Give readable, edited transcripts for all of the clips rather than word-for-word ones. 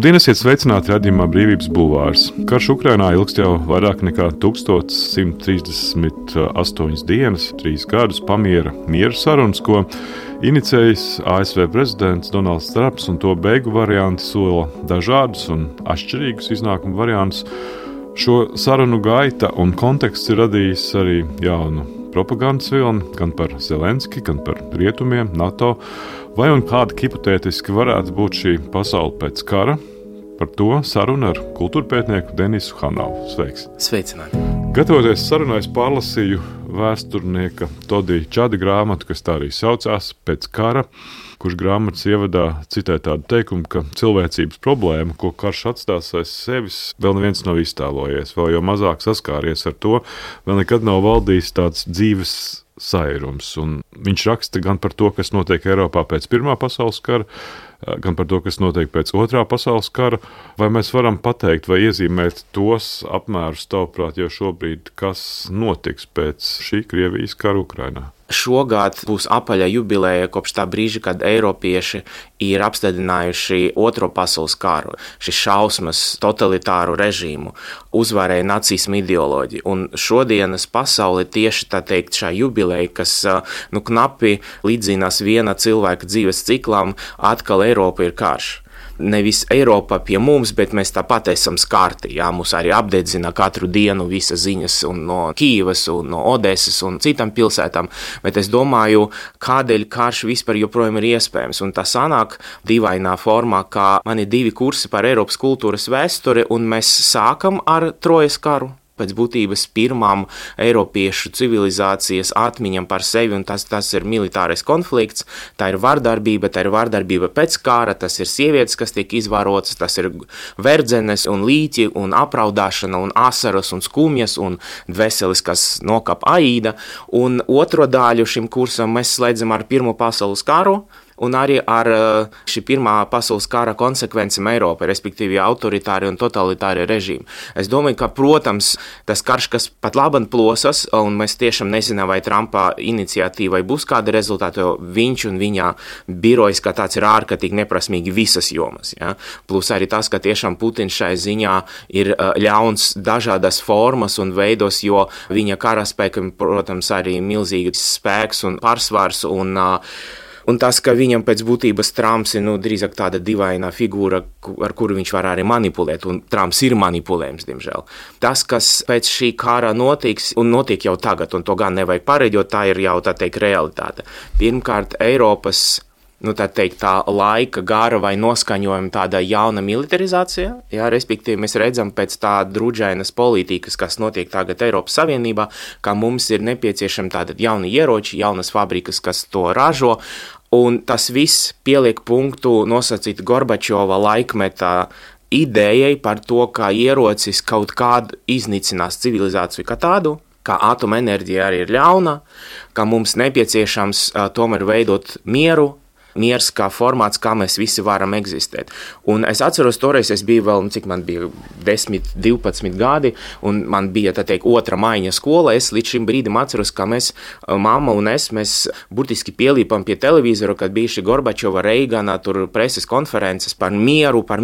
Labdien, esiet sveicināti raidījumā Brīvības bulvārs. Karš Ukrainā ilgst jau vairāk nekā 1138 dienas, 3 gadus pamiera miera sarunas, ko inicējis ASV prezidents Donalds Trumps, un to beigu varianti sola dažādus un atšķirīgus iznākumu variantus. Šo sarunu gaita un konteksts ir radījis arī jaunu propagandas vilni, gan par Zelenski, gan par rietumiem, NATO. Vai un kāda hipotētiski varētu būt šī pasaule pēc kara? Par to sarunu ar kultūrpētnieku Denisu Hanavu. Sveiks! Sveicināti! Gatavoties sarunai, es pārlasīju vēsturnieka Todija Čada grāmatu, kas tā arī saucās Pēc kara, kurš grāmatas ievadā citē tādu teikumu, ka cilvēcības problēma, ko karš atstās aiz sevis, vēl neviens nav iztēlojies, vēl jau mazāk saskāries ar to, vēl nekad nav valdījis tāds dzīves sairums. Un viņš raksta gan par to, kas notiek Eiropā pēc Pirmā pasaules kara, gan par to, kas notiek pēc Otrā pasaules kara. Vai mēs varam pateikt vai iezīmēt tos apmērus, tavuprāt, jau šobrīd, kas notiks pēc šī Krievijas kara Ukrainā? Šogad būs apaļa jubileja kopš tā brīža, kad eiropieši ir apstādinājuši Otro pasaules karu, šis šausmas totalitāru režīmu, uzvarēja nacismu ideoloģiju. Un šodienas pasauli tieši tā teikt šā jubileja, kas knapi līdzinās viena cilvēka dzīves ciklam, atkal Eiropa ir karš. Nevis Eiropa pie mums, bet mēs tāpat esam skarti. Jā, mūs arī apdedzina katru dienu visas ziņas no Kīivas, no Odesas un citām pilsētām. Bet es domāju, kādēļ karš vispār joprojām ir iespējams. Un tā sanāk dīvainā formā, kā man ir 2 kursi par Eiropas kultūras vēsturi, un mēs sākam ar Trojas karu. Pēc būtības pirmām eiropiešu civilizācijas atmiņam par sevi, un tas ir militārais konflikts, tā ir vardarbība pēc kara, tas ir sievietes, kas tiek izvarotas, tas ir verdzenes un līķi un apraudāšana un asaras un skumjas un dveselis, kas nokap Aida. Un otro daļu šim kursam mēs slēdzam ar Pirmo pasaules karu, un arī ar šī Pirmā pasaules kara konsekvencēm Eiropā, respektīvi autoritāri un totalitāri režīmi. Es domāju, ka, protams, tas karš, kas pat labam plosas, un mēs tiešām nezinām, vai Trumpa iniciatīvai būs kāda rezultāta, jo viņš un viņa birojas, kā tāds ir ārkārtīgi neprasmīgi visas jomas. Ja? Plus arī tas, ka tiešām Putins šai ziņā ir ļauns dažādas formas un veidos, jo viņa karaspēkam, protams, arī milzīgs spēks un pārsvars un tas, ka viņam pēc būtības Trumps ir drīzāk tāda dīvaina figūra, ar kuru viņš var arī manipulēt, un Trumps ir manipulējams, diemžēl. Tas, kas pēc šī kara notiks, un notiek jau tagad, un to gan nevajag pareģot, tā ir jau, tā teikt, realitāte. Pirmkārt, Eiropas tā laika gara vai noskaņojuma tāda jauna militarizācija, jā, respektīvi mēs redzam pēc tā drudžainas politikas, kas notiek tagad Eiropas Savienībā, ka mums ir nepieciešami tādi jauni ieroči, jaunas fabrikas, kas to ražo, un tas viss pieliek punktu nosacīt Gorbačova laikmeta idejai par to, ka ierocis kaut kādu iznīcinās civilizāciju kā tādu, ka atomenerģija arī ir ļauna, ka mums nepieciešams tomēr veidot mieru, miers kā formāts, kā mēs visi varam eksistēt. Un es atceros, toreiz es biju vēl, cik man bija 10, 12 gadi, un man bija, tā teikt, 2. maiņa skola. Es līdz šim brīdim atceros, ka mamma un mēs burtiski pielīpam pie televizora, kad bija šī Gorbačova, Reigana, tur preses konferences par mieru, ka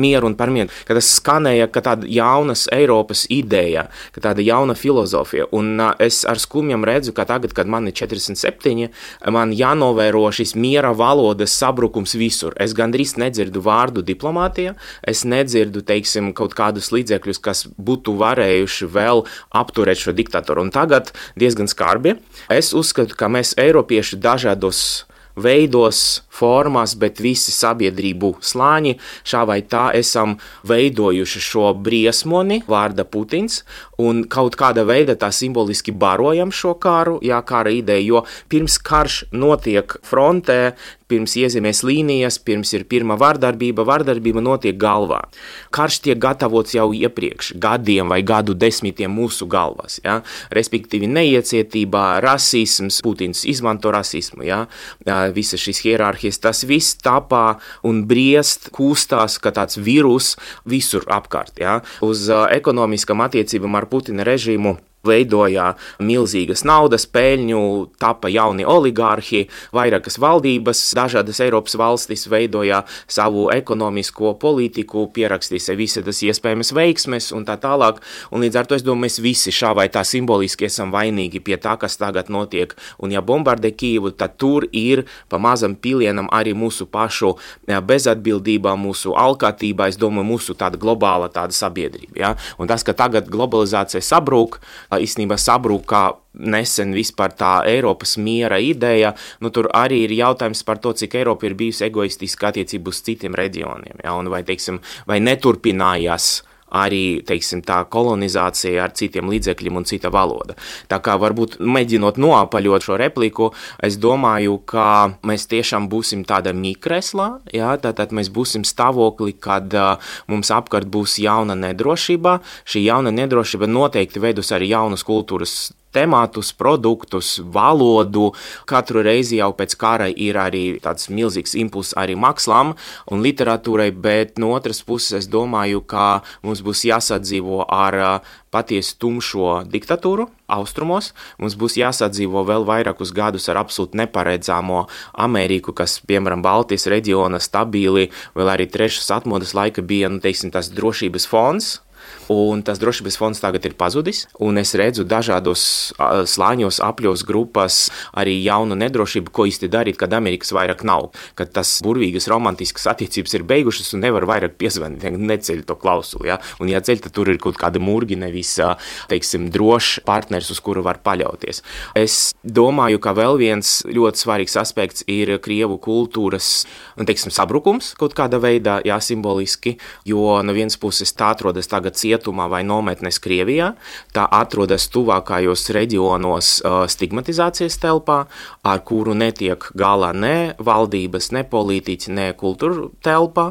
tas skanēja, ka tāda jaunas Eiropas ideja, ka tāda jauna filozofija. Un es ar skumjam redzu, ka tagad, kad man ir 47, man jānovēro šis miera valodas sabrukums visur. Es gandrīz nedzirdu vārdu diplomātija, es nedzirdu, teiksim, kaut kādus līdzekļus, kas būtu varējuši vēl apturēt šo diktatoru. Un tagad diezgan skarbi. Es uzskatu, ka mēs eiropieši dažādos veidos, formās, bet visi sabiedrību slāņi šā vai tā esam veidojuši šo briesmoni vārda Putins un kaut kāda veida tā simboliski barojam šo karu, kara ideju, jo pirms karš notiek frontē, pirms iezīmēs līnijas, pirms ir pirmā vardarbība notiek galvā. Karš tiek gatavots jau iepriekš, gadiem vai gadu desmitiem mūsu galvās, ja? Respektīvi neiecietība, rasisms, Putins izmanto rasismu, ja? Visas šīs hierarhijas, tas viss tapā un briest, kūstās, kā tāds vīrus visur apkārt, ja? Uz ekonomiskām attiecībām ar Putina režīmu Veidoja milzīgas naudas peļņu, tapa jauni oligārhi, vairākas valdības, dažādas Eiropas valstis veidoja savu ekonomisko politiku, pierakstīja visas iespējamas veiksmes un tā tālāk. Un līdz ar to es domāju, mēs visi šā vai tā simboliski esam vainīgi pie tā, kas tagad notiek. Un ja bombardē Kijevu, tad tur ir pa mazam pilienam arī mūsu pašu bezatbildībā, mūsu alkatībā, es domāju, mūsu tāda globāla tāda sabiedrība. Ja? Un tas, ka tagad globalizācija sabrūk, īstenībā sabruka nesen vispār tā Eiropas miera ideja, tur arī ir jautājums par to, cik Eiropa ir bijusi egoistiska attiecību uz citiem reģioniem, ja? Un vai neturpinājās arī, tā kolonizācija ar citiem līdzekļiem un cita valoda. Tā kā varbūt mēģinot noapaļot šo repliku, es domāju, ka mēs tiešām būsim tāda mikreslā, ja? Tātad mēs būsim stāvokli, kad mums apkārt būs jauna nedrošība. Šī jauna nedrošība noteikti veidos arī jaunas kultūras temātus, produktus, valodu. Katru reizi jau pēc kara ir arī tāds milzīgs impulss arī mākslām un literatūrai, bet no otras puses es domāju, ka mums būs jāsadzīvo ar patiesu tumšo diktatūru austrumos. Mums būs jāsadzīvo vēl vairākus gadus ar absolūti neparedzāmo Ameriku, kas, piemēram, Baltijas reģiona stabili, vēl arī trešas atmodas laika bija, tas drošības fonds. Un tas drošības fonds tagad ir pazudis, un es redzu dažādos slāņos, apļos, grupas arī jaunu nedrošību, ko īsti darīt, kad Amerikas vairāk nav, kad tas burvīgas romantiskas attiecības ir beigušas un nevar vairāk piezvanīt, neceļ to klausuli, ja? Un ja ceļ, tad tur ir kaut kāda murgi, nevis, drošs partners, uz kuru var paļauties. Es domāju, ka vēl viens ļoti svarīgs aspekts ir Krievu kultūras, sabrukums kaut kāda veidā, jā, simboliski, jo no vienas puses tā atrodas tagad cietumā vai nometnes Krievijā, tā atrodas tuvākajos reģionos stigmatizācijas telpā, ar kuru netiek galā ne valdības, ne politiķi, ne kultūra telpā.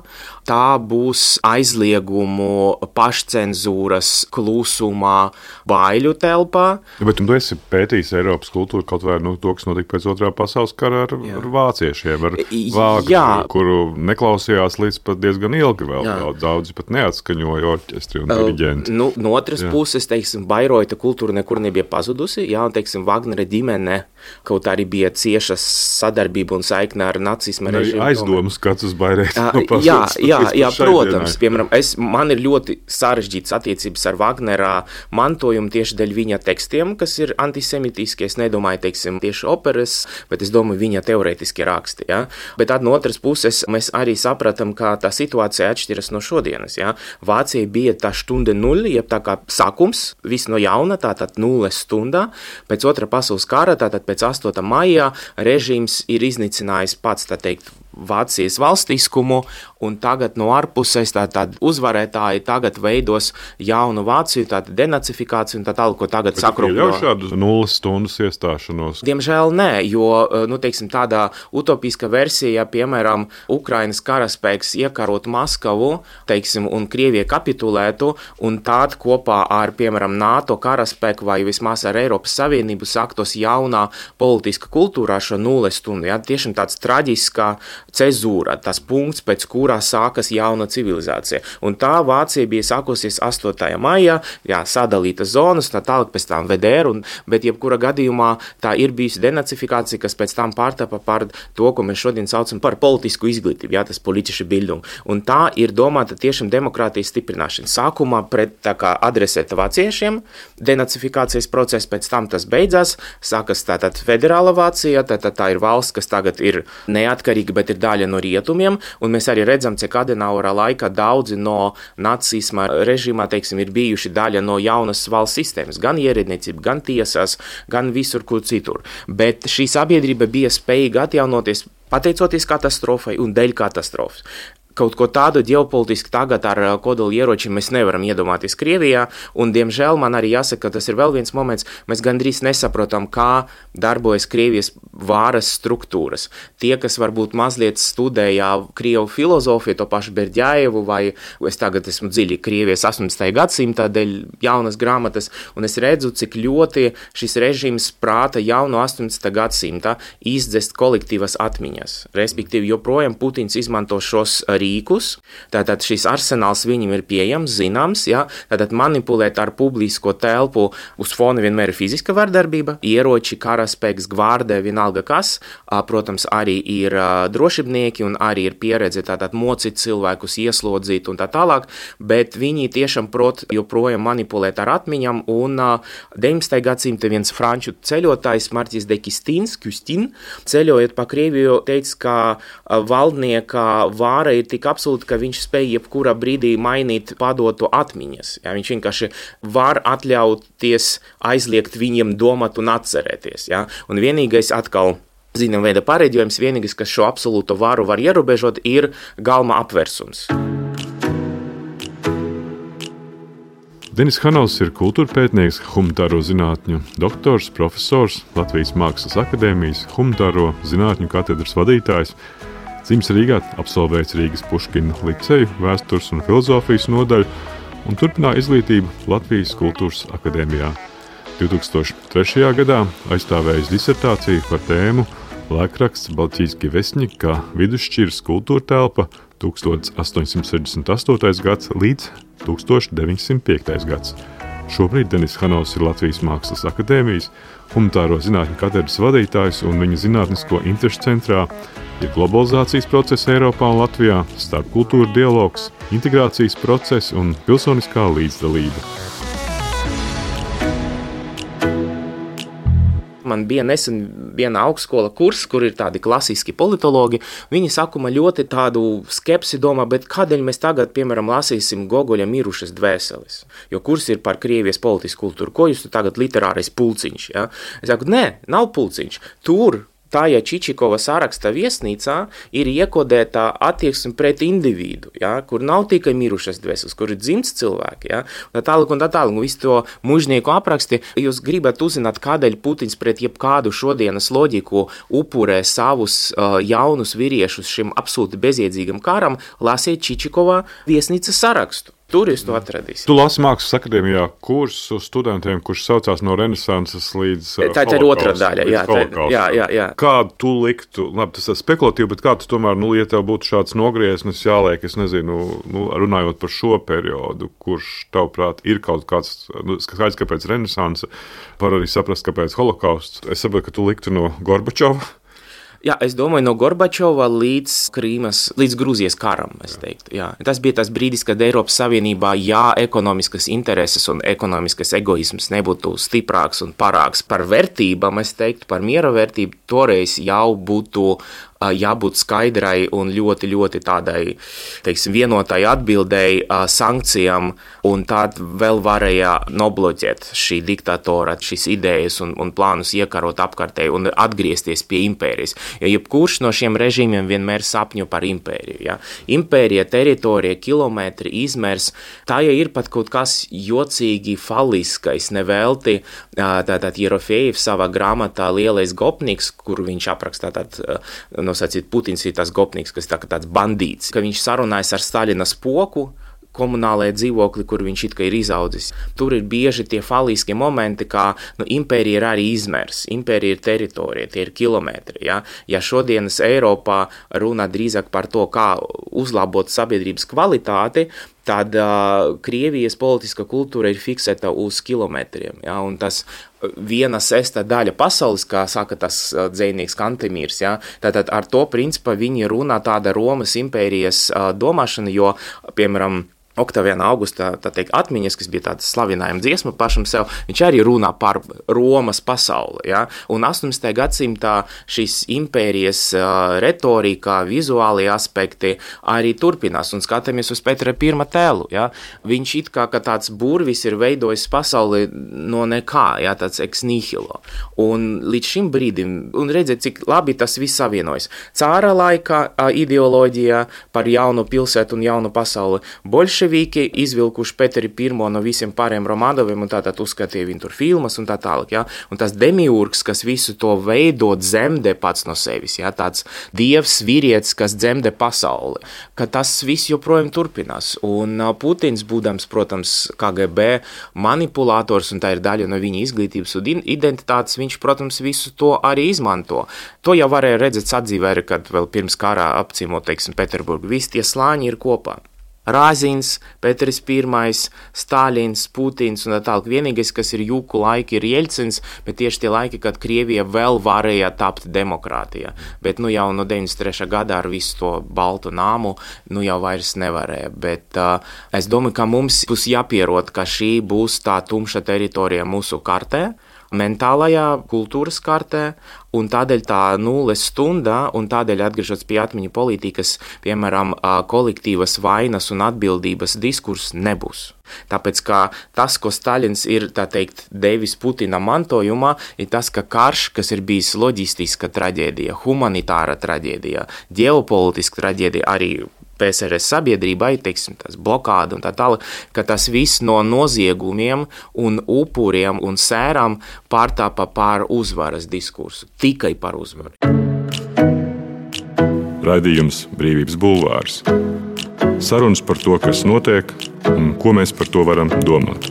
Tā būs aizliegumu, pašcenzūras, klusumā, baiļu telpā. Bet tu esi pētījis Eiropas kultūru kaut vai to, kas notika pēc Otrā pasaules kara ar vāciešiem, ar Vāgneru, kuru neklausījās līdz pat diezgan ilgi vēl. Daudzi pat neatskaņoja orķestri un diriģenti. No otras puses, Bairoita kultūra nekur nebija pazudusi, jā, un, Vagnera ģimene kaut arī bija cieša sadarbība un saikne ar nacisma režīmu. Aizdomas skats uz Bairoita. Jā, protams. Piemēram, man ir ļoti sarežģītas attiecības ar Vagnera mantojumu tieši dēļ viņa tekstiem, kas ir antisemitiski. Es nedomāju, tieši operas, bet es domāju, viņa teorētiski raksti. Ja? Bet no otras puses, mēs arī sapratam, ka tā situācija atšķiras no šodienas. Ja? Vācija bija tā stunde nulle, jeb tā kā sākums, viss no jauna, tātad nulles stundā. Pēc Otrā pasaules kara, tātad pēc 8. maijā, režīms ir iznicinājis pats, Vācijas valstiskumu, un tagad no ārpuses tātad uzvarētāji tagad veidos jaunu Vāciju, tātad denacifikāciju un tā tālāk, ko tagad sakropļo. Bet jau šādu nulles stundas iestāšanos? Diemžēl nē, jo, tādā utopiska versija, piemēram, Ukrainas karaspēks iekarot Maskavu, un Krievija kapitulētu, un tād kopā ar, piemēram, NATO karaspēku vai vismaz ar Eiropas Savienību sāktos jaunā politiska kultūrā šo nulles stundu. Ja? Tiešām tāds traģiskā cezūra, tas punkts, pēc kurā sākas jauna civilizācija. Un tā Vācija bija sākusies 8. maijā, sadalītas zonas, tā tālāk pēc tām VDR, bet jebkura gadījumā tā ir bijusi denacifikācija, kas pēc tam pārtapa par to, ko mēs šodien saucam par politisku izglītību, tas politische Bildung. Un tā ir domāta tiešām demokrātijas stiprināšana. Sākumā pret adresēta vāciešiem, denacifikācijas process, pēc tam tas beidzās, sākas tātad federāla Vācija, tā ir valsts, kas tagad ir neatkarīga, bet ir daļa no rietumiem, un mēs arī redzam, cik Adenaura laikā daudzi no nacisma režīmā, ir bijuši daļa no jaunas valsts sistēmas, gan ierēdniecība, gan tiesās, gan visur, kur citur. Bet šī sabiedrība bija spējīga atjaunoties pateicoties katastrofai un dēļ katastrofas. Kaut ko tādu ģeopolitiski tagad ar kodoli ieročiem mēs nevaram iedomāties Krievijā, un, diemžēl, man arī jāsaka, ka tas ir vēl viens moments, mēs gandrīz nesaprotam, kā darbojas Krievijas vāras struktūras. Tie, kas varbūt mazliet studēja Krievu filozofiju, to pašu Berdjajevu, vai es tagad esmu dziļi Krievijas 18. gadsimta dēļ jaunas grāmatas, un es redzu, cik ļoti šis režīms prāta jau no 18. gadsimta izdzest kolektīvas atmiņas. Respektīvi, joprojām Putins izmanto šos rīkus, tātad šis arsenāls viņam ir pieejams, zināms, ja? Tātad manipulēt ar publisko telpu uz fona vienmēr ir fiziska vardarbība, ieroči, karaspēks, gvārdē, vienalga kas, protams, arī ir drošībnieki un arī ir pieredze tātad mocīt cilvēkus, ieslodzīt un tā tālāk, bet viņi tiešām prot joprojām manipulēt ar atmiņām un 19. gadsimta viens franču ceļotājs Marķis de Custine, ceļojot pa Krieviju, teica, ka valdnieka vāra ir tik absolūta, ka viņš spēj jebkurā brīdī mainīt padotu atmiņas. Ja, viņš vienkārši var atļauties aizliegt viņiem domāt un atcerēties. Ja. Un vienīgais atkal, zinām veida pareģojums, vienīgais, kas šo absolūto varu var ierobežot, ir galma apversums. Denis Hanovs ir kultūrpētnieks, humanitāro zinātņu doktors, profesors, Latvijas Mākslas akadēmijas humanitāro zinātņu katedras vadītājs, dzimis Rīgā, absolvējis Rīgas Puškina liceju, vēstures un filozofijas nodaļu un turpināja izglītību Latvijas kultūras akadēmijā. 2003. gadā aizstāvējis disertāciju par tēmu laikraksts Baltijski Vesņik kā vidusšķiras kultūra telpa 1868. gads līdz 1905. gads. Šobrīd Denis Hanovs ir Latvijas Mākslas akadēmijas humanitāro zinātņu katedras vadītājs un viņa zinātnisko interešu centrā ir globalizācijas process Eiropā un Latvijā, starpkultūra dialogs, integrācijas process un pilsoniskā līdzdalība. Man bija nesen viena augstskola kurs, kur ir tādi klasiski politologi. Viņi sākumā ļoti tādu skepsi domā, bet kādēļ mēs tagad, piemēram, lasīsim Gogoļa Mirušas dvēseles? Jo kurs ir par Krievijas politisku kultūru. Ko jūs tagad literārais pulciņš? Ja? Es saku, nē, nav pulciņš. Tur Tāja Čičikova saraksta viesnīcā ir iekodēta attieksme pret individu, ja, kur nav tikai mirušas dvēseles, kur ir dzimts cilvēki, ja, un tā tālāk, un visu to mužnieku apraksti. Jūs gribat uzzināt, kādēļ Putins pret jebkādu šodienas loģiku upurē savus jaunus vīriešus šim absolūti bezjēdzīgam karam, lasiet Čičikova viesnīcas sarakstu. Tur jūs to atradīsiet. Tu lasi Mākslas akadēmijā kursu studentiem, kurš saucās no Renesanses līdz tā ir otrā daļa, jā. Kādu tu liktu, labi, tas ir spekulatīvi, bet kādu tomēr, ja tev būtu šāds nogrieznis jāliek, es nezinu, runājot par šo periodu, kurš, tavuprāt, ir kaut kāds, skaidrs, kāpēc Renesanse, var arī saprast, kāpēc holokausts. Es saprotu, ka tu liktu no Gorbačova. Jā, es domāju, no Gorbačova līdz Grūzijas karam, es teiktu. Jā. Tas bija tas brīdis, kad Eiropas Savienībā, ekonomiskas intereses un ekonomiskas egoisms nebūtu stiprāks un parāks par vērtībām, es teiktu, par miera vērtību, toreiz jau būtu jābūt skaidrai un ļoti, ļoti tādai, teiksim, vienotai atbildēji, sankcijām, un tad vēl varēja nobloķēt šī diktatora, šīs idejas un plānus iekarot apkārtēji un atgriezties pie impērijas. Jo jebkurš no šiem režīmiem vienmēr sapņo par impēriju. Ja? Impērija, teritorija, kilometri, izmērs, tā ja ir pat kaut kas jocīgi faliskais, nevelti. Tātad Jerofejevs savā grāmatā Lielais gopniks, kur viņš aprakstā nosacīt, Putins ir tas gopniks, kas tāds bandīts, ka viņš sarunājas ar Staļina spoku, komunālajā dzīvokli, kur viņš it kā ir izaudzis. Tur ir bieži tie faliskie momenti, kā impērija ir arī izmērs, impērija ir teritorija, tie ir kilometri. Ja, ja šodienas Eiropā runā drīzāk par to, kā uzlabot sabiedrības kvalitāti, tad Krievijas politiskā kultūra ir fiksēta uz kilometriem. Ja, un tas 1/6 daļa pasaules, kā saka tas dzejnieks Kantemīrs, ja, tātad ar to principā viņi runā tāda Romas impērijas domāšana, jo, piemēram, Oktaviāna Augusta atmiņas, kas bija tāda slavinājuma dziesma pašam sev, viņš arī runā par Romas pasauli. Ja? Un 18. gadsimtā šīs impērijas retorika, vizuālie aspekti arī turpinās. Un skatāmies uz Petra I tēlu. Ja? Viņš it kā tāds burvis ir veidojis pasauli no nekā, ja? Tāds ex nihilo. Un līdz šim brīdim, un redziet, cik labi tas viss savienojas. Cāra laika ideoloģija par jaunu pilsētu un jaunu pasauli, bolševiku Boļševiki izvilkuši Peteri I no visiem pārējiem Romanoviem un tātad uzskatīja viņu tur filmas un tā tālāk, ja? Un tas demiurgs, kas visu to veido, dzemdē pats no sevis, ja? Tāds dievs, vīrietis, kas dzemdē pasauli, ka tas viss joprojām turpinās. Un Putins, būdams, protams, KGB manipulators, un tā ir daļa no viņa izglītības un identitātes, viņš, protams, visu to arī izmanto. To jau varēja redzēt sadzīvē, kad vēl pirms karā apciemot, teiksim, Peterburgu. Visi tie slāņi ir kopā. Rāzins, Peters I, Stāļins, Putins un tā tālāk. Vienīgais, kas ir jūku laiki, ir Jeļcins, bet tieši tie laiki, kad Krievija vēl varēja tapt demokrātija. Bet jau no 93. gadā ar visu to baltu nāmu, jau vairs nevarēja. Bet es domāju, ka mums būs jāpierod, ka šī būs tā tumša teritorija mūsu kartē, mentālajā kultūras kartē, un tādēļ tā nulles stunda, un tādēļ atgriežoties pie atmiņu politikas, piemēram, kolektīvas vainas un atbildības diskurs nebūs. Tāpēc, ka tas, ko Staļins ir, tā teikt, devis Putina mantojumā, ir tas, ka karš, kas ir bijis loģistiska traģēdija, humanitāra traģēdija, ģeopolitiska traģēdija, arī PSRS sabiedrībai, teiksim, tas blokāda un tā tālāk, ka tas viss no noziegumiem un upuriem un sērām pārtāpa pār uzvaras diskursu, tikai par uzvaru. Raidījums Brīvības bulvārs. Sarunas par to, kas notiek un ko mēs par to varam domāt.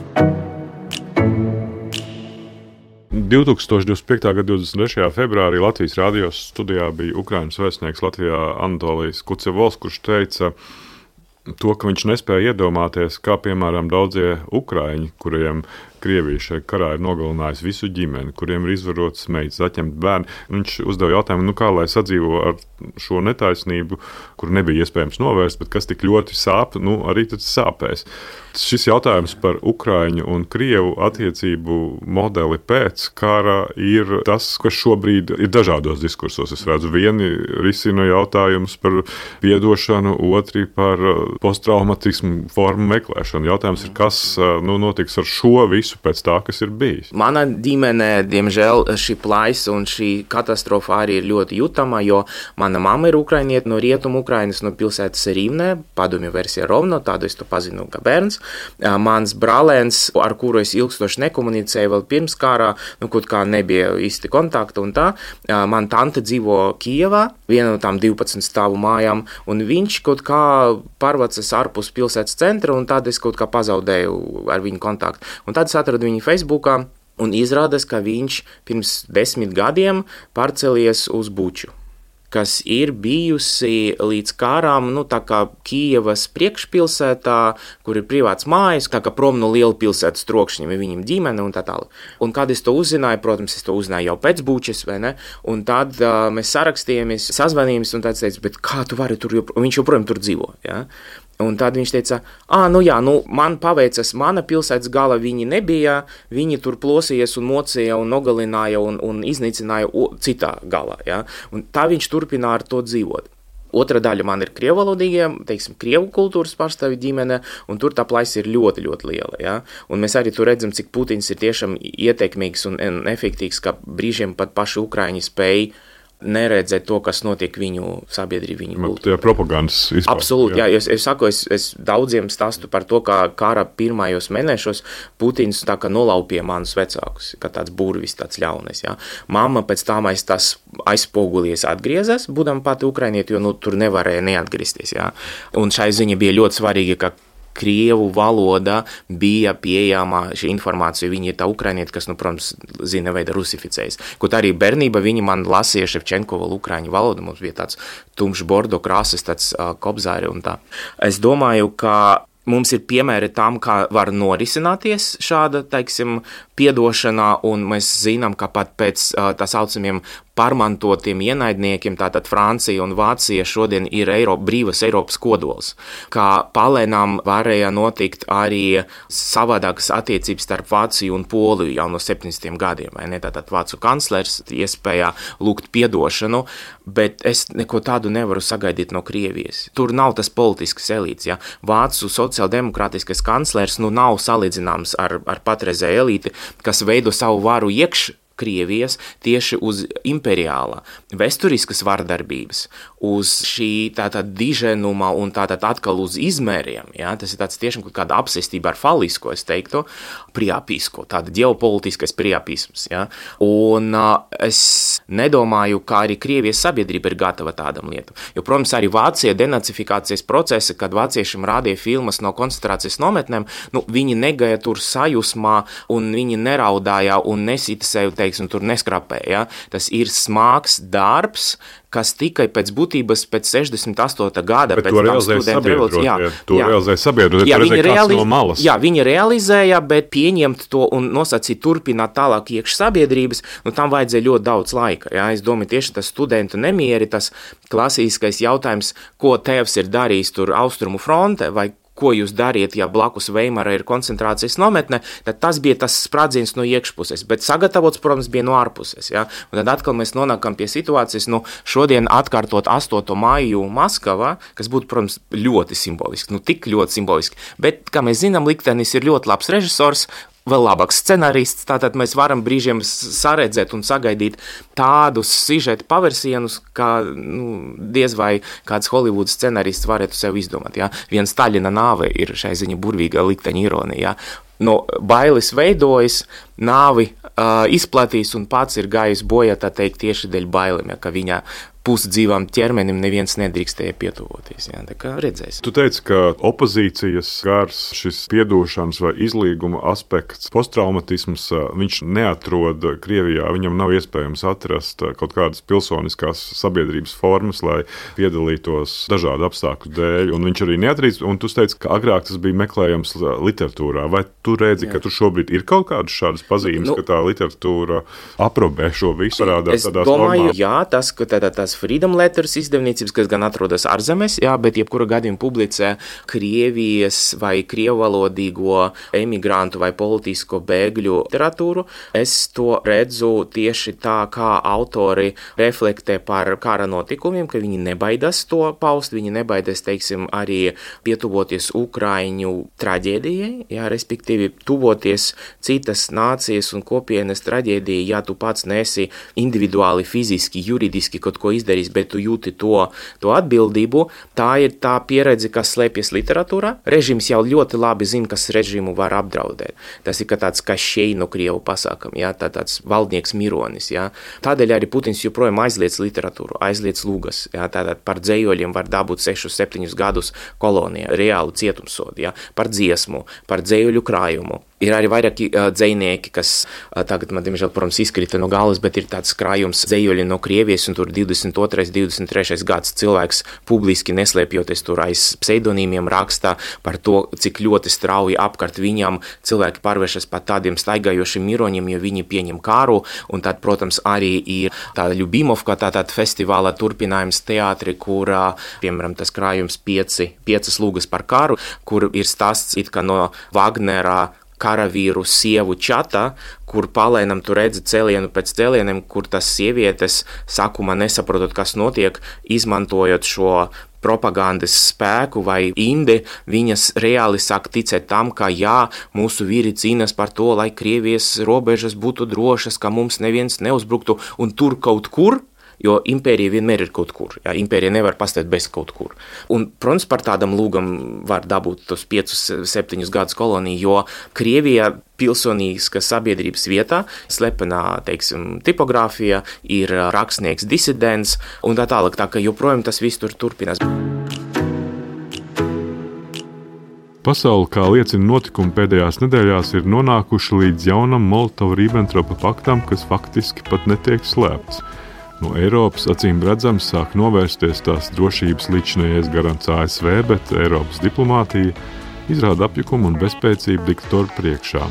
2025. gada 23. februārī Latvijas radio studijā bija Ukrainas vēstnieks Latvijā Anatolijs Kucevols, kurš teica to, ka viņš nespēja iedomāties, kā piemēram daudzie ukraiņi, kuriem Krievija šajā karā ir nogalinājusi visu ģimeni, kuriem ir izvarotas meitas, atņemt bērni. Viņš uzdeva jautājumu, kā lai sadzīvo ar šo netaisnību, kur nebija iespējams novērst, bet kas tik ļoti sāp, arī tad sāpēs. Šis jautājums par Ukraiņu un Krievu attiecību modeli pēc kara ir tas, kas šobrīd ir dažādos diskursos. Es redzu, vieni risina jautājumus par piedošanu, otri par posttraumatismu formu meklēšanu. Jautājums ir, kas notiks ar šo visu pēc tā, kas ir bijis. Mana ģimenē, diemžēl, šī plaisa un šī katastrofa arī ir ļoti jutama, jo mana mamma ir ukrainiete no rietumu Ukrainas, no pilsētas Rīvnē, padomju versija Rovno, tādu es to pazinu kā bērns. Mans brālēns, ar kuru es ilgstoši nekomunicēju vēl pirms kārā, kaut kā nebija īsti kontakta un tā. Man tante dzīvo Kijevā, viena no tām 12 stāvu mājām, un viņš kaut kā pārvācas ārpus pilsētas centra, un tad es kaut kā pazaudēju ar viņu kontaktu. Un tad es atradu viņu Facebookā, un izrādās, ka viņš pirms 10 gadiem pārcēlies uz Buču, kas ir bijusi līdz kārām, tā kā Kijevas priekšpilsētā, kur ir privāts mājas, tā kā prom no liela pilsētas trokšņiem, viņam ģimene un tā tālāk. Un kad es to uzzināju, protams, es to uzzināju jau pēc Bučas, vai ne? Un tad mēs sarakstījāmies, sazvanījāmies, un tad teicu, bet kā tu vari tur, viņš joprojām tur dzīvo, ja? Un tad viņš teica, man paveicas, mana pilsētas gala viņi nebija, viņi tur plosījies un mocīja un nogalināja un iznīcināja citā galā. Ja? Un tā viņš turpina ar to dzīvot. Otra daļa man ir krievalodīgie, teiksim, krievu kultūras pārstāvju ģimene, un tur tā plaisa ir ļoti, ļoti liela. Ja? Un mēs arī tur redzam, cik Putins ir tiešām ietekmīgs un efektīvs, ka brīžiem pat paši Ukraiņi spēj neredzēt to, kas notiek viņu sabiedrību, viņu kultūrā. Tā ir propagandas izpārta. Absolūti, jā. Es saku, es daudziem stāstu par to, kā kara pirmajos mēnešos Putins tā kā nolaupīja manus vecākus, kā tāds burvis, tāds ļaunais. Jā. Mamma pēc tam tas aizpogulies atgriezās, būdama pati ukrainieti, jo tur nevarēja neatgriezties. Jā. Un šai ziņa bija ļoti svarīga, ka krievu valoda bija pieejama šī informācija. Viņi ir tā ukrainieti, kas, protams, zina veida rusificējas. Kaut arī bērnība viņi man lasīja Ševčenkovu ukraiņu valodu. Mums bija tāds tumšs bordo krāsas, tāds kobzāri un tā. Es domāju, ka mums ir piemēri tam, kā var norisināties šāda, teiksim, piedošanā, un mēs zinām, ka pat pēc tā saucamiem pārmantotiem ienaidniekiem, tātad Francija un Vācija šodien ir brīvas Eiropas kodols, kā palēnām varēja notikt arī savādākas attiecības starp Vāciju un Poliju jau no 70. gadiem, vai ne? Tātad vācu kanclers iespēja lūgt piedošanu, bet es neko tādu nevaru sagaidīt no Krievijas. Tur nav tas politisks elīts, ja? Vācu sociāldemokrātiskais kanclers nav salīdzināms ar patreizēju elīti, kas veido savu varu Krievijas tieši uz imperiāla vēsturiskas vardarbības, uz šī tātad diženuma un tātad atkal uz izmēriem. Ja? Tas ir tāds tiešām kaut kāda apsestība ar falisko, es teiktu, priapisko, tāda ģeopolitiskais priapisms. Ja? Un es nedomāju, ka arī Krievijas sabiedrība ir gatava tādam lietam. Jo, protams, arī Vācija denacifikācijas procesa, kad vāciešiem rādīja filmas no koncentrācijas nometnēm, viņi negaja tur sajūsmā un viņi neraudāja un nesita sevi, teiksim, tur neskrapēja. Ja? Tas ir smags darbs, kas tikai pēc būtības pēc 68. gada. Bet to realizēja sabiedrot, no malas. Jā, viņi realizēja, bet pieņemt to un nosacīt turpināt tālāk iekš sabiedrības, tam vajadzēja ļoti daudz laika. Jā. Es domāju, tieši tas studentu nemieri, tas klasiskais jautājums, ko tēvs ir darījis tur Austrumu fronte, vai ko jūs dariet, ja blakus Veimara ir koncentrācijas nometne, tad tas bija tas sprādziens no iekšpuses, bet sagatavots, protams, bija no ārpuses. Ja? Un tad atkal mēs nonākam pie situācijas, šodien atkārtot 8. maiju Maskavā, kas būtu, protams, ļoti simboliski, tik ļoti simboliski, bet, kā mēs zinām, liktenis ir ļoti labs režisors, vēl labāks scenarists, tātad mēs varam brīžiem saredzēt un sagaidīt tādus sižeta paversienus, kā diez vai kāds Holivudas scenarists varētu sev izdomāt. Ja? Viens Staļina nāve ir šai ziņa burvīga likteņa ironija. Ja? No bailes veidojas, nāvi izplatīs un pats ir gājis bojā, tā teikt, tieši dēļ bailēm, ja, ka viņa pusdzīvam ķermenim neviens nedrīkstēja pietuvoties. Jā, tā kā redzēsim. Tu teici, ka opozīcijas gars, šis piedošanas vai izlīguma aspekts, posttraumatisms, viņš neatrod Krievijā, viņam nav iespējams atrast kaut kādas pilsoniskās sabiedrības formas, lai piedalītos dažādu apstākļu dēļ, un viņš arī neatrīst, un tu teici, ka agrāk tas bija meklējams literatūrā. Vai tu redzi, ka tur šobrīd ir kaut kādas šādas pazīmes, ka tā literatūra aprobē šo visu, parādās tādās normās? Es domāju, jā, tas, ka tās Freedom Letters izdevniecības, kas gan atrodas ārzemēs, jā, bet jebkura gadījuma publicē Krievijas vai krievalodīgo emigrantu vai politisko bēgļu literatūru. Es to redzu tieši tā, kā autori reflektē par kara notikumiem, ka viņi nebaidās to paust, viņi nebaidās, teiksim, arī pietuvoties Ukraiņu traģēdijai, jā, respektīvi tuvoties citas nācijas un kopienas traģēdijai, ja tu pats nesi individuāli, fiziski, juridiski kaut ko izdarījis, bet tu jūti to atbildību. Tā ir tā pieredze, kas slēpjas literatūrā. Režīms jau ļoti labi zina, kas režīmu var apdraudēt. Tas ir tāds kā šeino krievu pasākam, jā, tāds valdnieks mironis. Jā. Tādēļ arī Putins joprojām aizliedz literatūru, aizliedz lūgas. Jā. Tātad par dzējoļiem var dabūt 6-7 gadus kolonijā, reālu cietumsodu, jā. Par dziesmu, par dzējoļu krājumu. Ir arī vairāki dzejnieki, kas tagad man, diemžēl, protams, izkrita no galvas, bet ir tāds krājums dzējoļi no Krievijas, un tur 22. 23. gads cilvēks publiski neslēpjoties tur aiz pseidonīmiem rakstā par to, cik ļoti strauji apkārt viņam cilvēki pārvēršas par tādiem staigājošiem miroņiem, jo viņi pieņem kāru, un tad, protams, arī ir tāda Ļubimovka, tātad festivāla turpinājums teātri, kur, piemēram, tas krājums 5 lūgas par karu, kur ir stāsts it kā no Wagnera karavīru sievu čata, kur palēnam tu redzi cēlienu pēc cēlieniem, kur tas sievietes sākumā nesaprotot, kas notiek, izmantojot šo propagandas spēku vai indi, viņas reāli sāk ticēt tam, ka jā, mūsu vīri cīnās par to, lai Krievijas robežas būtu drošas, ka mums neviens neuzbruktu, un tur kaut kur, jo impērija vienmēr ir kaut kur. Jā, impērija nevar pastāvēt bez kaut kur. Un, protams, par tādam lūgam var dabūt tos 5-7 gadus koloniju, jo Krievijā pilsonīskas sabiedrības vietā slepenā, teiksim, tipogrāfija, ir rakstnieks disidents un tā tālāk, tā ka joprojām tas viss tur turpinās. Pasaule, kā liecina notikumi pēdējās nedēļās, ir nonākuši līdz jaunam Molotova-Ribbentropa paktam, kas faktiski pat netiek slēpts. No Eiropas acīm redzams sāk novērsties tās drošības līdzinājais garants ASV, bet Eiropas diplomātija izrāda apjukumu un bezspēcību diktatoru priekšā.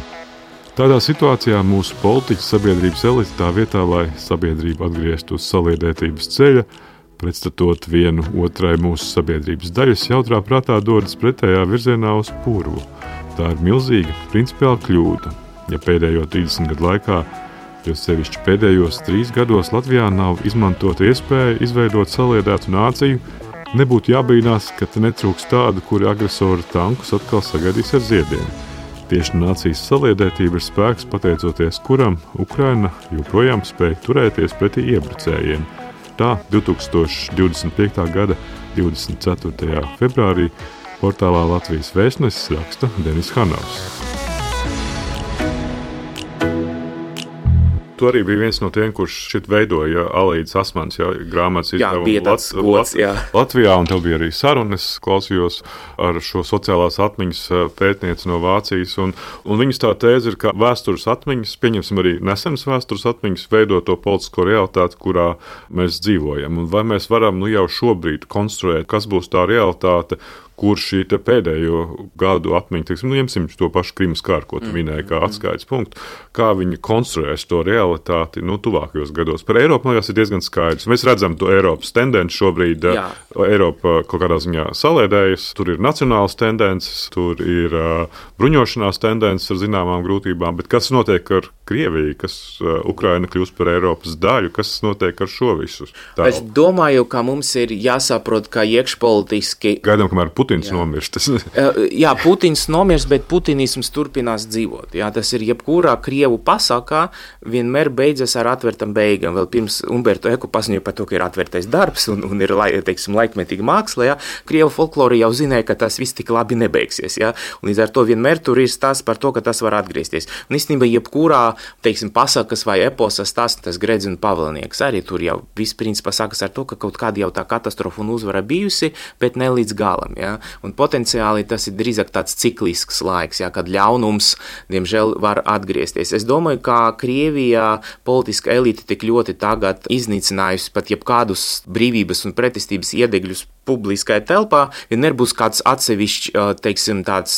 Tādā situācijā mūsu politiķi sabiedrības elite tā vietā, lai sabiedrība atgrieztu uz saliedētības ceļa, pretstatot vienu otrai mūsu sabiedrības daļas, jautrā prātā dodas pretējā virzienā uz purvu. Tā ir milzīga principiāla kļūda, ja pēdējo 30 gadu laikā, jo sevišķi pēdējos 3 gados Latvijā nav izmantota iespēja izveidot saliedētu nāciju, nebūtu jābrīnās, ka te netrūks tādu, kuri agresoru tankus atkal sagaidīs ar ziediem. Tieši nācijas saliedētība ir spēks, pateicoties kuram Ukraina joprojām spēja turēties pretī iebrucējiem. Tā 2025. gada 24. februārī portālā Latvijas Vēstnesis raksta Denis Hanovs. Tu arī bija viens no tiem, kurš šit veidoja Alīdas Asmans grāmatas izdevumu Latvijā, un tev bija arī sarunas, klausījos ar šo sociālās atmiņas pētnieci no Vācijas, un viņas tā tēze ir, ka vēstures atmiņas, pieņemsim arī nesenas vēstures atmiņas, veido to politisko realitāti, kurā mēs dzīvojam. Un vai mēs varam jau šobrīd konstruēt, kas būs tā realitāte, kur šī pēdējo gadu atmiņa, ņemsim to pašu Krimas kāru, ko tu minēji, kā atskaites punktu, kā viņi konstruēs to realitāti tuvākajos gados. Par Eiropu, man liekas, ir diezgan skaidrs. Mēs redzam to Eiropas tendenci šobrīd. Eiropa kaut kādā ziņā salēdējas, tur ir nacionālas tendences, tur ir bruņošanās tendences ar zināmām grūtībām, bet kas notiek ar Krieviju, kas Ukraina kļūst par Eiropas daļu, kas notiek ar šo visu? Es domāju, ka mums ir jāsaprot, ka iekšpolitiski... Gaidām, kamēr Putins nomirst. Jā, Putins nomirst, bet putinisms turpinās dzīvot. Jā, tas ir jebkurā Krievu pasākā vienmēr beidzas ar atvērtam beigām. Vēl pirms Umberto Eco paziņoja par to, ka ir atvērtais darbs un ir, laikmetīga māksla. Jā. Krievu folklori jau zināja, ka tas viss tik labi nebeigsies. Jā. Un līdz ar to vienmēr tur ir stāsts par to, ka tas var atgriezties. Un īstenībā jebkurā pasakas vai eposa stāsts, tas Gredz un Pavelnieks arī tur jau viss principā sākas ar to, ka kaut kāda jau tā katastrofa un uzvara bijusi, bet ne līdz galam. Ja? Un potenciāli tas ir drīzāk tāds ciklisks laiks, ja? Kad ļaunums, diemžēl, var atgriezties. Es domāju, ka Krievijā politiska elite tik ļoti tagad iznīcinājusi pat jebkādus brīvības un pretestības iedegļus publiskajā telpā, vienmēr būs kāds atsevišķs,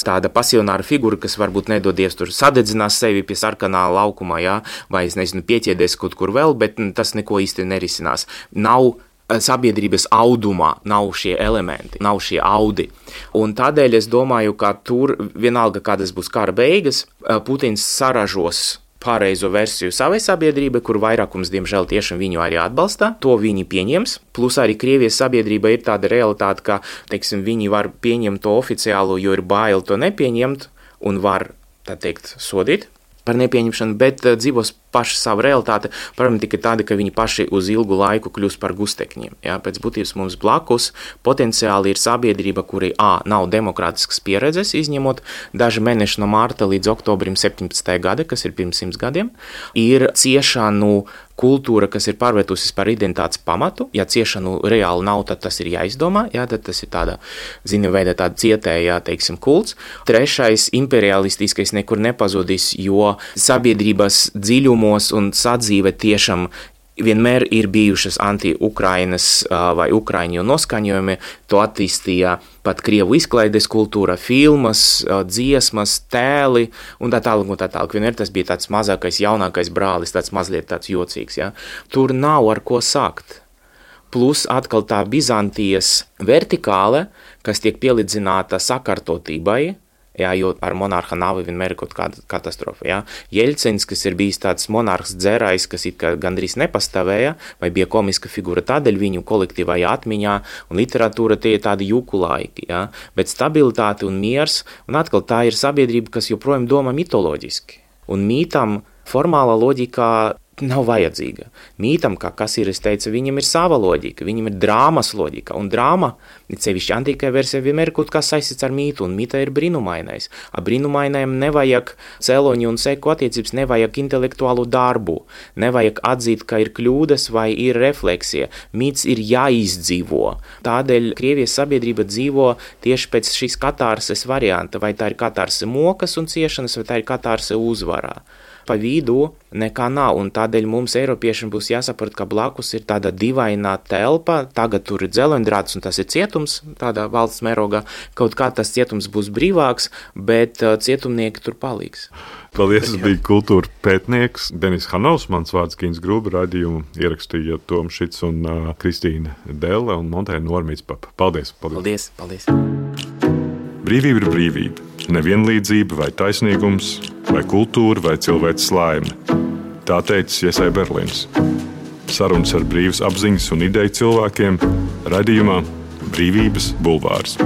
tāda pasionāra figura, kas varbūt nedodies tur sadedzinās sevi pie sarkanā laukumā, jā, vai, pieķēdēs kaut kur vēl, bet tas neko īsti nerisinās. Nav sabiedrības audumā, nav šie elementi, nav šie audi. Un tādēļ es domāju, ka tur vienalga, kādas būs kara beigas, Putins saražos pāreizo versiju savai sabiedrībai, kur vairākums, diemžēl, tiešām viņu arī atbalsta. To viņi pieņems. Plus arī Krievijas sabiedrība ir tāda realitāte, ka, viņi var pieņemt to oficiālo, jo ir bail to nepieņemt un var, sodīt par nepieņemšanu, bet dzīvos paši savu realitāti, protams, tikai tādi, ka viņi paši uz ilgu laiku kļūst par gustekņiem. Ja? Pēc būtības mums blakus potenciāli ir sabiedrība, kuri nav demokrātiskas pieredzes, izņemot daži mēneši no mārta līdz oktobrim 17. gada, kas ir pirms 100 gadiem, ir ciešanu kultūra, kas ir pārvērtusies par identitātes pamatu. Ja ciešanu reāli nav, tad tas ir jāizdomā, ja? Tad tas ir tāda, veida tāda cietējā, kults. Trešais, imperialistiskais nekur nepazudis, jo sabiedrības dziļumos un sadzīve tiešām vienmēr ir bijušas anti-Ukrainas vai Ukraiņu noskaņojumi, to attīstīja pat Krievu izklaides kultūra, filmas, dziesmas, tēli un tā tālāk un tā tālāk. Vienmēr tas bija tāds mazākais, jaunākais brālis, tāds mazliet tāds jocīgs. Ja? Tur nav ar ko sākt. Plus atkal tā Bizantijas vertikāle, kas tiek pielīdzināta sakārtotībai, jā, jo ar monarha nāvi vienmēr ir kaut kāda katastrofa. Jā. Jeļcins, kas ir bijis tāds monarhs dzērājs, kas it kā gandrīz nepastāvēja, vai bija komiska figūra, tādēļ viņu kolektīvajā atmiņā un literatūra tie ir tādi juku laiki. Jā. Bet stabilitāte un miers, un atkal tā ir sabiedrība, kas joprojām domā mitoloģiski. Un mītam formālā loģikā nav vajadzīga. Mītam, kā Kasīris teica, viņam ir sava loģika, viņam ir drāmas loģika, un drāma, sevišķi antīkajā versijā, vienmēr kaut kas saistīts ar mītu, un mīta ir brīnumainais. A brīnumainajam nevajag cēloņu un seku attiecības, nevajag intelektuālu darbu, nevajag atzīt, ka ir kļūdas vai ir refleksija. Mīts ir jāizdzīvo. Tādēļ Krievijas sabiedrība dzīvo tieši pēc šīs katārses varianta, vai tā ir katārse mokas un ciešanas, vai tā ir katārse uzvarā. Pa vidu nekā nav, un tādēļ mums, Eiropiešiem, būs jāsaprot, ka blakus ir tāda divainā telpa, tagad tur ir dzeloņdrāts, un tas ir cietums, tādā valsts mērogā, kaut kā tas cietums būs brīvāks, bet cietumnieki tur paliks. Paldies, tas bija kultūra pētnieks Denis Hanovs, mans vārds Gins Grūba, raidījumu ierakstīja Toms Šits un Kristīna Delle un Montēna Normītspapa. Paldies! Paldies! Brīvība ir brīvība. Nevienlīdzība vai taisnīgums, vai kultūra, vai cilvēks laime. Tā teicis Iesai Berlīns. Sarunas ar brīvas apziņas un ideju cilvēkiem raidījumā Brīvības bulvārs.